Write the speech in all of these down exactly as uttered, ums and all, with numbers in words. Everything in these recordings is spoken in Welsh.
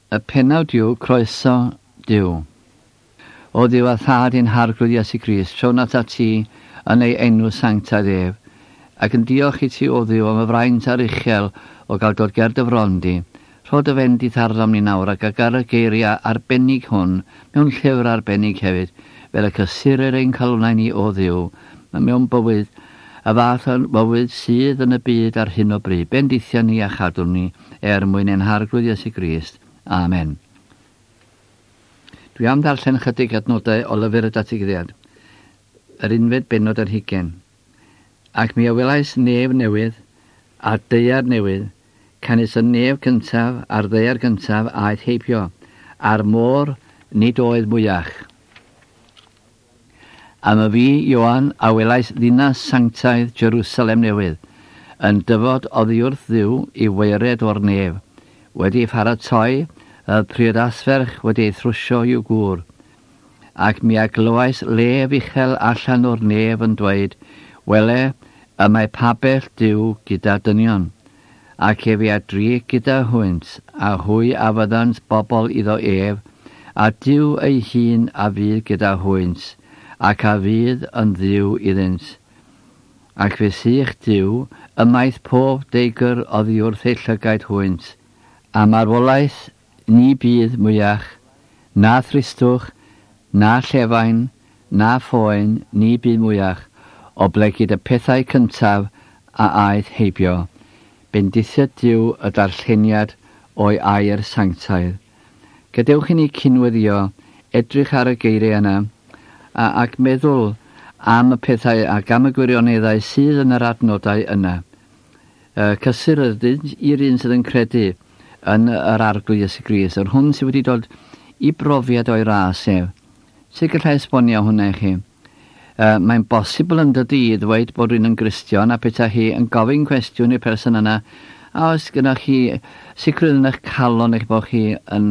Y pennawd yw Croeso Duw. O Dduw a Thad ein Harglwydd Iesu Grist, trown atat ti yn ei enw sanctaidd ef, ac yn diolch i ti o Dduw am y fraint aruchel o gael dod ger dy fron di. Rho dy fendith arnom ni nawr ac ag ar y geiriau arbennig hwn, mewn llyfr arbennig hefyd, fel y cysurir ein calonnau ni o Dduw, mewn bywyd, y fath o bywyd sydd yn y byd ar hyn o bryd. Bendithia ni a chadw ni er mwyn ein Harglwydd Iesu Grist. Amen. Dwi am ddarllen chydig adnodau o lyfr y Datguddiad, yr unfed bennod ar hugain. Ac mi a welais nef newydd a daear newydd, canys y nef cyntaf a'r ddaear gyntaf aeth heibio, a'r môr nid oedd mwyach. A myfi, Ioan, a welais ddinas sanctaidd Jerusalem newydd, yn dyfod oddi wrth Dduw i waered o'r nef, wedi ei pharatoi y priodasferch wedi ei thrwsio i'w gŵr. Ac mi a glywais lef uchel allan o'r nef yn dweud, wele, y mae pabell Duw gyda dynion, ac efe a drig gyda hwynt, a hwy a fyddant bobl iddo ef, a Duw ei hun a fydd gyda hwynt, ac a fydd yn Dduw iddynt. Ac fe sych Duw ymaith pob deigr oddi wrth eu llygaid hwynt, a marwolaeth ni bydd mwyach, na thristwch, na llefain, na phoen, ni bydd mwyach, oblegid y pethau cyntaf a aeth heibio. Bendithiad Duw y darlleniad o'i air sanctaidd. Gadewch i ni cynweddio, edrych ar y geiriau yna, a, ac meddwl am y pethau ac am y gwirioneddau sydd yn yr adnodau yna. Cysur ydynt i'r un sydd yn credu yn yr Arglwydd Iesu Grist, yr hwn sydd wedi dod i brofiad o'i ras ef. Sut gallai esbonio hwnna i chi? Uh, mae'n bosibl yn dydi i ddweud bod rhywun yn Gristion a petai chi yn gofyn cwestiwn i'r person yna, a oes gyda chi sicrwydd yn eich calon eich bod chi yn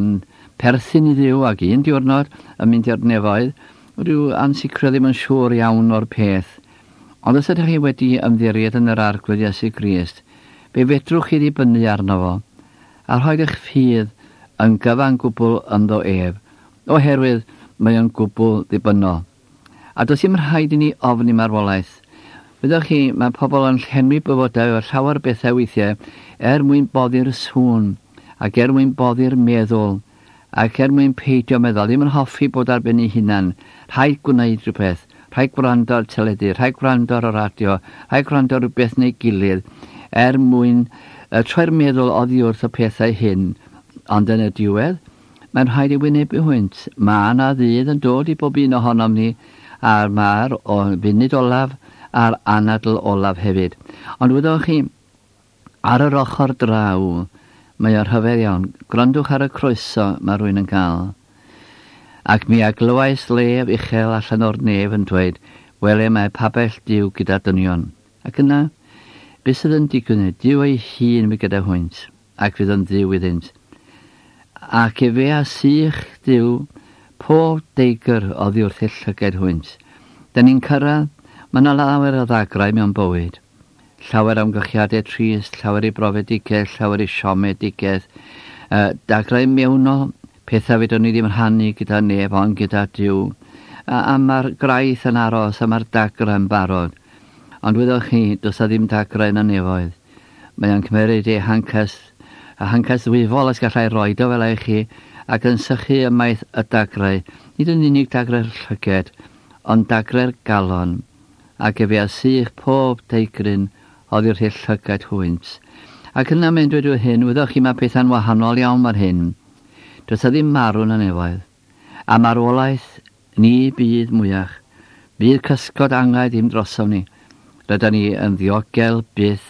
perthyn i Dduw ac un diwrnod yn mynd i'r nefoedd, rhyw ansicrwydd ddim yn siŵr iawn o'r peth. Ond os ydych chi wedi ymddiried yn yr Arglwydd Iesu Grist, fe fedrwch chi ddibynnu arno fo, a rhoi eich ffydd yn gyfan gwbl ynddo ef, oherwydd mae o'n gwbl ddibynnol. A does dim rhaid i ni ofni marwolaeth. Wyddoch chi, mae pobl yn llenwi bywydau o llawer bethau weithiau er mwyn boddi'r sŵn, ac er mwyn boddi'r meddwl, ac er mwyn peidio meddwl, ddim yn hoffi bod ar ben ei hunan. Rhaid gwneud rhywbeth, rhaid gwrando ar teledu, rhaid gwrando ar y radio, rhaid gwrando ar rhywbeth neu gilydd, er mwyn troi'r meddwl oddi wrth y pethau hyn. Ond yn y diwedd, mae'n rhaid i wynebu hwynt. Mae yna ddydd yn dod i bob un ohonom ni, a'r mae'r funud olaf a'r anadl olaf hefyd. Ond wyddoch chi, ar yr ochr draw, mae o'r rhyfedd iawn. Gwrandwch ar y croeso mae rhywun yn cael. Ac mi a glywais lef uchel allan o'r nef yn dweud, wele mae pabell Duw gyda dynion. Ac yna, beth sydd yn digwydd? Duw ei hun mi gyda hwynt, ac fydd yn Dduw iddynt. Ac efe a sych Duw pob deigr oddi wrth eu llygaid hwynt. Da ni'n cyrraedd, mae yna lawer o ddagrau mewn bywyd. Llawer amgylchiadau trist, llawer i brofedigaeth, llawer i siomedigaeth. Uh, dagrau mewnol, pethau fedrwn ni ddim rhannu gyda neb ond gyda Duw. A, a mae'r graith yn aros, a mae'r dagrau yn barod. Ond wyddoch chi, does a ddim dagrau yn y nefoedd. Mae o'n cymeryd ei hancas, a hancas ddwyfol os gallai roed o fel i chi, ac yn sychu ymaith y dagrau, nid yn unig dagrau'r llyged, ond dagrau'r galon, ac efe a sych pob deigryn oddi wrth eu llygaid hwynt. Ac yna mae'n dweud yw hyn, wyddoch chi mae pethau'n wahanol iawn mar hyn. Does a ddim marw yn y nefoedd, a marwolaeth ni bydd mwyach. Bydd cysgod angau ddim drosom ni. Rydyn ni yn ddiogel byth,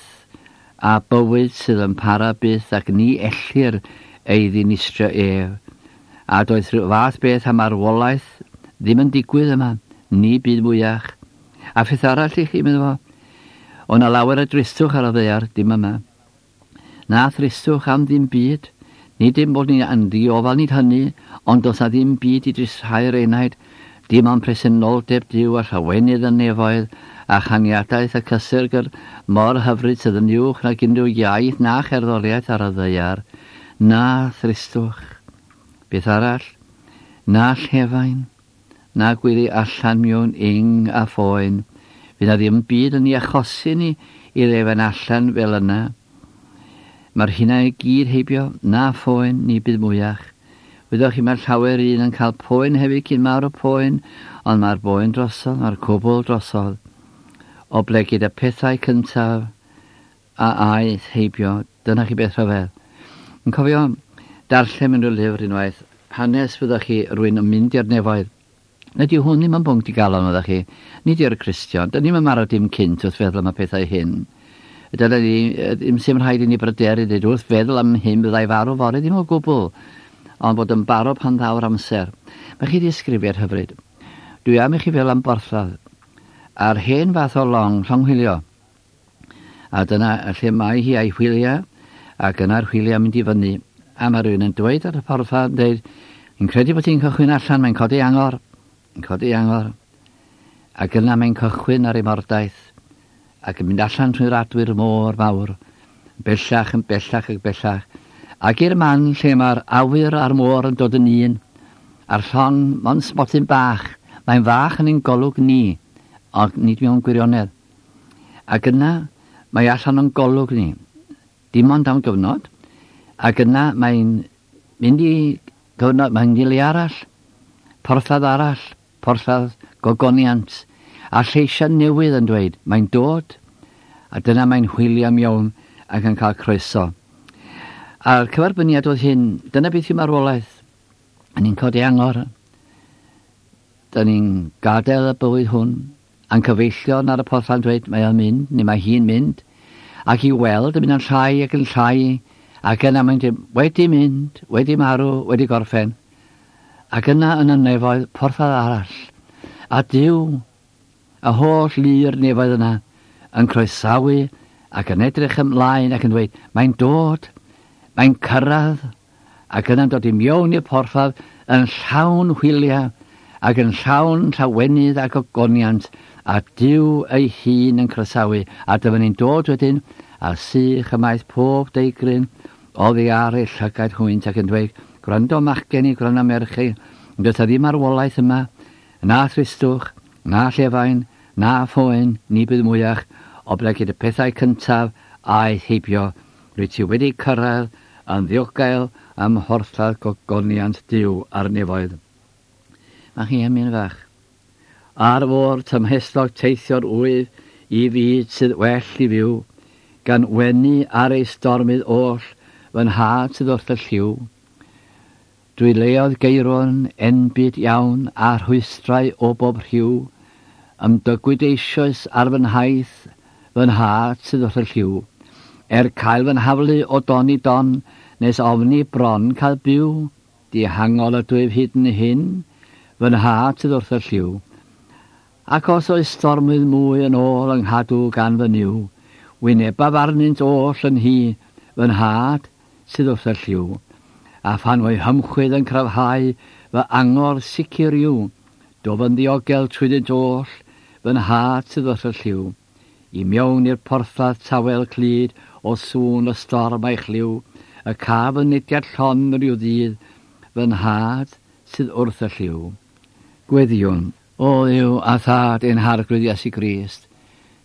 a bywyd sydd yn para byth, ac ni ellir ei ddinistrio ef. A doedd rhyw fath beth am marwolaeth ddim yn digwydd yma, ni bydd mwyach. A pheth arall i chi, meddwl fo, o na lawer o dristwch ar y ddaear, dim yma. Na thristwch am ddim byd, nid dim bod ni'n yn ddiofal nid hynny, ond does na ddim byd i dristhau'r enaid, dim ond presenoldeb Duw a llawenydd y nefoedd, a chaniadaeth y cysur gyr mor hyfryd sydd yn uwch nag unrhyw iaith na cherddoriaeth ar y ddaear, na thristwch. Beth arall, na llefain, na gwyddi allan mewn ing a phoen. Fydd na ddim byd yn ei achosi ni i lefain allan fel yna. Mae'r hynna i gyd heibio, na phoen ni bydd mwyach. Wyddoch chi, mae llawer un yn cael poen hefyd cyn mawr o poen, ond mae'r boen drosodd, mae'r cwbl drosodd. Oblegid y pethau cyntaf a aeth heibio, dyna chi beth rhyfedd. Yn cofio darllen mewn rhyw lyfr unwaith, hanes fyddwch chi rwy'n yn mynd i'r nefoedd. Nid yw hwn ddim yn bwnc digalon, fyddwch chi. Nid yw'r Cristion. Dyn ni'n marw dim cynt wrth feddwl am y pethau hyn. Dyna ni, ddim sy'n rhaid i ni bryderu, dweud wrth feddwl am hyn byddai farw fory, ddim o gwbl, ond bod yn barod pan ddaw'r amser. Mae chi ddisgrifiad hyfryd. Dwi am i chi fel am borthladd. A'r hen fath o long, llong hwylio. A dyna lle mae hi a'i hwyliau, ac yna'r hwyliau mynd i fyny. A mae rhywun yn dweud ar y porthladd, yn dweud, yn credu bod hi'n cychwyn allan, mae'n codi angor. Yn codi angor. Ac yna mae'n cychwyn ar ei mordaith, ac yn mynd allan trwy'r adwy'r môr mawr, bellach yn bellach ac bellach, ac i'r man lle mae'r awyr a'r môr yn dod yn un, a'r llong mond smotyn bach, mae'n fach yn ein golwg ni, ond nid mewn gwirionedd. Ac yna mae allan o'n golwg ni, dim ond am gyfnod, ac yna mae'n mynd i gyfnod, mae'n mynd i le arall, porthladd arall, porthladd gogoniant, a lleisiau newydd yn dweud, mae'n dod, a dyna mae'n hwylio mewn ac yn cael croeso. A'r cyferbyniad oedd hyn, dyna beth yw marwolaeth. A ni'n codi angor, da ni'n gadael y bywyd hwn, a'n cyfeillion ar y porthladd yn dweud, mae o'n mynd, neu mae hi'n mynd, ac i weld yn mynd yn llai ac yn llai, ac yna mae'n dweud, wedi mynd, wedi marw, wedi gorffen. Ac yna yn y nefoedd, porthladd arall, a Duw, y holl lu'r nefoedd yna, yn croesawu ac yn edrych ymlaen ac yn dweud, mae'n dod, mae'n cyrraedd, ac yna'n dod i mewn i'r porthladd yn llawn hwyliau ac yn llawn llawenydd ac ogoniant, a Duw ei hun yn croesawu, a dyma ni'n dod wedyn, a sych ymaith pob deigryn oddi ar ei llygaid hwynt ac yn dweud, gwrando machgen i, gwrando merch i, does 'na ddim marwolaeth yma, na thristwch, na llefain, na phoen, ni bydd mwyach, oblegid y pethau cyntaf aeth heibio, rwyt ti wedi cyrraedd yn ddiogel ym mhorthladd gogoniant Duw ar nefoedd. Mae chi emyn fach. Ar fôr tymhestlog teithio'r wyf i fyd sydd well i fyw, gan wenu ar ei stormydd oll, fy nhad sydd wrth y llyw. Drwy leoedd geiron enbyd iawn a rhwystrau o bob rhyw, ymdygwyd eisoes ar fy nhaith, fy nhad sydd wrth y llyw. Er cael fy nhaflu o don i don, nes ofni bron cael byw, dihangol ydwyf hyd yn hyn, fy nhad sydd wrth y llyw. Ac os oes stormydd mwy yn ôl yng nghadw gan fy Nuw, wynebaf arnynt oll yn hi, fy nhad sydd wrth y llyw. A phan fo'i hymchwydd yn cryfhau, fy angor sicr yw, dof yn ddiogel trwyddynt oll, fy nhad sydd wrth y llyw. I mewn i'r porthladd tawel clyd o sŵn y storm a'i chlyw, y caf yn nediad llon rhyw ddydd, fy nhad sydd wrth y llyw. Gweddïwn, o Dduw a thad ein harglwydd Iesu Grist,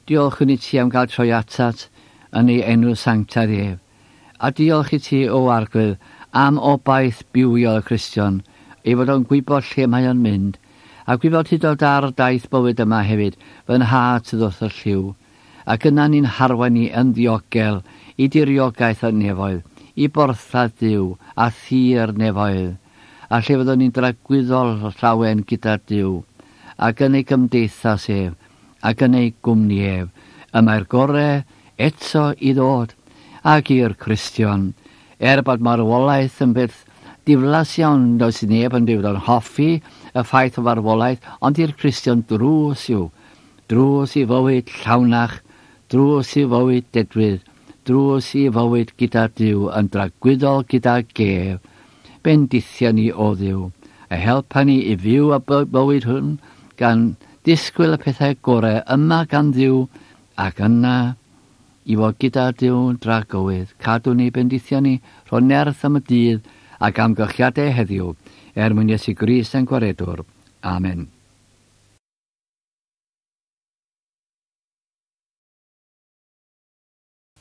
diolchwn i ti am gael troi atat yn ei enw sanctaidd ef, a diolch i ti, o arglwydd, am obaith bywiol y Cristion, ei fod o'n gwybod lle mae o'n mynd, a gwybod hyd oed ar daith bywyd yma hefyd, fy nhad sydd wrth y llyw, ac yna ni'n harwain ni yn ddiogel i diriogaeth y nefoedd, i borthladd Duw a thir nefoedd, a lle fyddwn ni'n dragwyddol llawen gyda Duw, ac yn ei gymdeithas ef, ac yn ei gwmni ef, y mae'r gorau eto i ddod, ac i'r Cristion, er bod marwolaeth yn beth diflas iawn, does neb yn dweud o'n hoffi y ffaith o farwolaeth, ond i'r Cristion drws yw, drws i fywyd llawnach, drws i fywyd dedwydd, drws i fywyd gyda Duw, yn dragwyddol gyda gef. Bendithia ni o Dduw, a helpa ni i fyw y bywyd hwn, gan disgwyl y pethau gorau yma gan Dduw, ac yna i fod gyda Duw dragywydd. Cadw ni, bendithia ni, rho nerth am y dydd, ac amgylchiadau heddiw er mwyn Iesu Grist ein gwaredwr. Amen.